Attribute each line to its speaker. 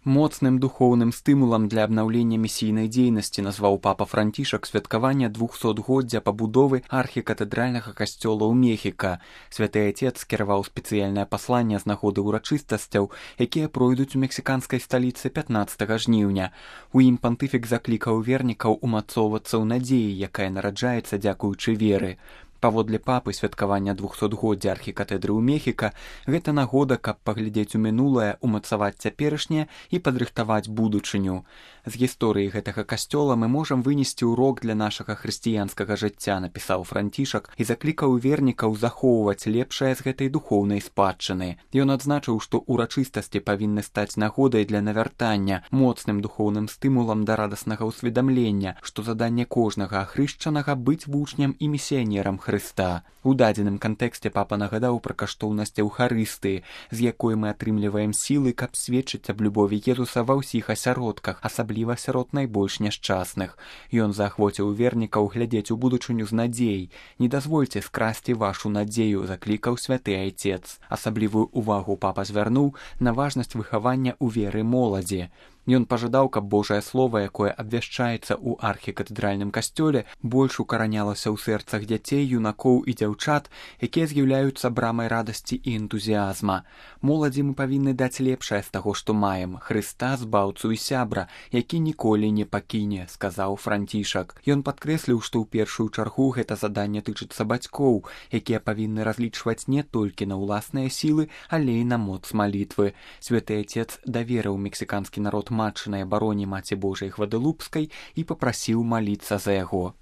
Speaker 1: Моцным духоўным стымулам для абнаўлення місійнай дзейнасці назваў папа Францішак святкаванне 200-годдзя пабудовы архікатэдральнага касцёла ў Мехіка. Святы Отец скіраваў спецыяльнае пасланне з нагоды ўрачыстасцяў, якія пройдуць у мексіканскай сталіцы 15 жніўня. У ім пантыфік заклікаў вернікаў умацоўвацца ў надзеі, якая нараджаецца дзякуючы веры. Паводле папы святкавання 200-годдзя архікатэдры ў Мехіка гэта нагода, каб паглядзець у мінулае, умацаваць цяперашняе і падрыхтаваць будучыню. З гісторыі гэтага касцёла мы можам вынесці ўрок для нашага хрысціянскага жыцця, напісаў Францішак і заклікаў вернікаў захоўваць лепшае з гэтай духоўнай спадчыны. Ён адзначыў, што ўрачыстасці павінны стаць нагодай для навяртання, моцным духоўным стымулам да радаснага ўсведамлення, што заданне кожнага ахрышчанага быць вучнем і місіянерам Хрыста. У дадзеным кантэксце папа нагадаў пра каштоўнасць Еўхарыстыі, з якой мы атрымліваем сілы, каб сведчыць аб любові Езуса ва ўсіх асяродках, асабліва сярод найбольш няшчасных. Ён заахвоціў вернікаў глядзець у будучыню з надзеяй. Не дазвольце скрасці вашу надзею, заклікаў святы Отец. Асаблівую увагу папа звярнуў на важнасць выхавання ў веры моладзі. Ён пажадаў, каб Божае Слова, якое абвяшчаецца ў архікатэдральным касцёле, больш укаранялася ў сэрцах дзяцей, юнакоў і дзяўчат, якія з'яўляюцца брамай радасці і энтузіазма. Моладзі мы павінны даць лепшае з таго, што маем, Хрыста, збаўцу і сябра, які ніколі не пакіне, сказаў Францішак. Ён падкрэсліў, што ў першую чаргу гэта заданне тычыцца бацькоў, якія павінны разлічваць не толькі на ўласныя сілы, але і на моц малітвы. Святы Отец даверыў мексіканскі народ матчынай абароне Маці Божай Гвадалупскай і папрасіў маліцца за яго.